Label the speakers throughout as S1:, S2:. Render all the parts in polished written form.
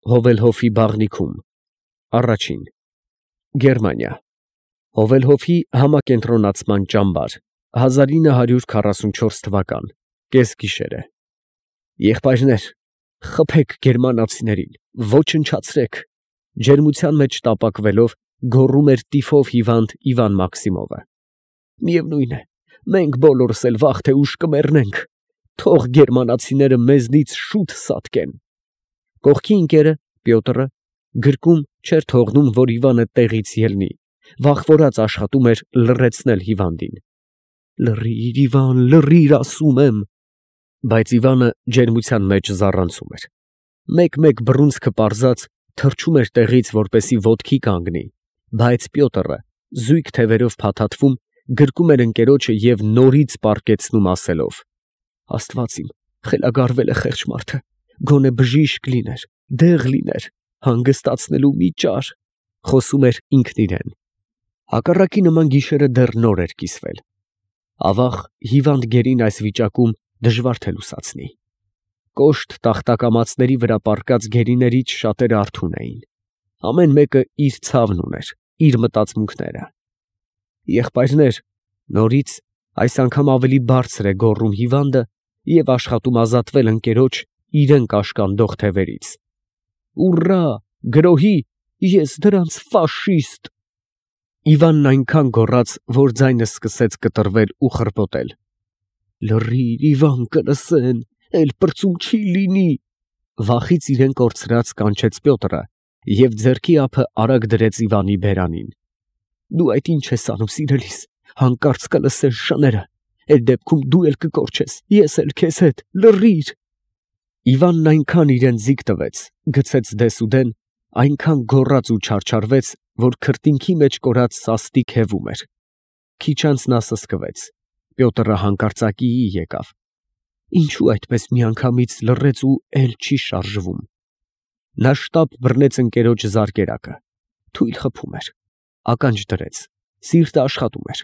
S1: Հովելհոֆի բաղնիքում, առաջին, Գերմանիա, Հովելհոֆի համակենտրոնացման ճամբար, 1944 թվական, կեսգիշերը։ Եղբայրներ, խփեք գերմանացիներին, ոչնչացրեք, ջերմության մեջ տապակվելով գոռում էր տիֆով հիվանդ Իվան Մաքսիմովը։ Միևնույն է, մենք բոլորս էլ վաղ թե ուշ կմեռնենք, թող գերմանացիները մեզնից շուտ սատկեն։ Կողքի ընկերը Պյոտրը գրկում չէր թողնում, որ Իվանը տեղից ելնի, վախվորած աշխատում էր լռեցնել հիվանդին։ Լռիր, Իվան, լռիր, ասում եմ։ Բայց Իվանը ջերմության մեջ զառանցում էր։ Մեկ-մեկ բռունցքը պարզած թռչում էր տեղից, որպեսի ոտքի կանգնի, բայց Պյոտրը զույգ թևերով փաթաթվում գրկում էր ընկերոջը և նորից պառկեցնում ասելով. Աստված իմ, խելագարվել է խեղճ մարդը, գոնե բժիշկ լիներ, դեղ լիներ, հանգստացնելու մի ճար, խոսում էր ինքն իրեն։ Հակառակի նման գիշերը դեռ նոր էր կիսվել։ Ավաղ հիվանդ գերին այս վիճակում դժվար թե լուսացնի։ Կոշտ տախտակամածների վրա պառկած գերիներից շատերը արթուն էին։ Ամեն մեկը իր ցավն ուներ, իր մտածմունքները։ Եղբայրներ, նորից այս անգամ ավելի բարձր է գոռում հիվանդը և աշխատում ազատվել ընկերոջ իրեն կաշկանդող թևերից։ Ուռա, գրոհի, ես դրանց ֆաշիստ։ Իվանն այնքան գոռաց, որ ձայնը սկսեց կտրվել ու խրպոտել։ Լռիր, Իվան, կլսեն, էլ պրծում չի լինի։ Վախից իրեն կորցրած կանչեց Պյոտրը և ձեռքի ափը արագ դրեց Իվանի բերանին։ Դու այդ ինչ ես անում, սիրելիս, հանկարծ կլսես շները, այդ դեպքում դու էլ կկորչես, ես էլ քեզ հետ, լռիր։ Իվանն այնքան իրեն ձիգ տվեց, գցեց դեսուդեն, այնքան գոռաց ու չարչարվեց, որ քրտինքի մեջ կորած սաստիկ հևում էր։ Քիչ անց նա սսկվեց։ Պյոտրը հանկարծակիի եկավ։ Ինչու այդպես միանգամից լռեց ու էլ չի շարժվում։ Նա շտապ բռնեց ընկերոջ զարկերակը։ Թույլ խփում էր։ Ականջ դրեց։ Սիրտը աշխատում էր։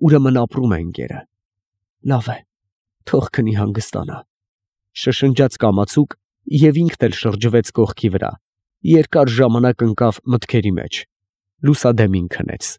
S1: Ուրեմն ապրում է ընկերը։ Լավ է, թող քնի հանգստանա։ Շշնջաց կամացուկ և ինքն էլ շրջվեց կողքի վրա։ Երկար ժամանակ ընկավ մտքերի մեջ։ Լուսադեմին քնեց։